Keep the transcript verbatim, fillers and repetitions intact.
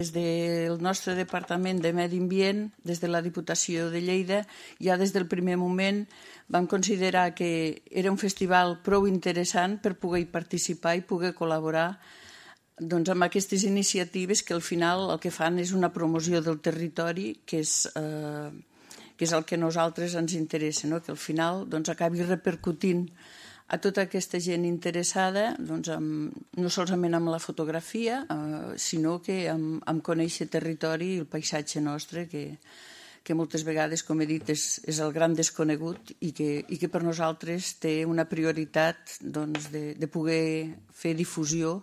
Des del nostre Departament de Medi Ambient, des de la Diputació de Lleida, ja des del primer moment vam considerar que era un festival prou interessant per poder participar i poder col·laborar doncs, amb aquestes iniciatives que al final el que fan és una promoció del territori, que és, eh, que és el que a nosaltres ens interessa, no? Que al final doncs, acabi repercutint a tota aquesta gent interessada, doncs, amb, no solament amb la fotografia, eh, sinó que amb, amb conèixer territori i el paisatge nostre, que, que moltes vegades, com he dit, és, és el gran desconegut i que, i que per nosaltres té una prioritat doncs, de, de poder fer difusió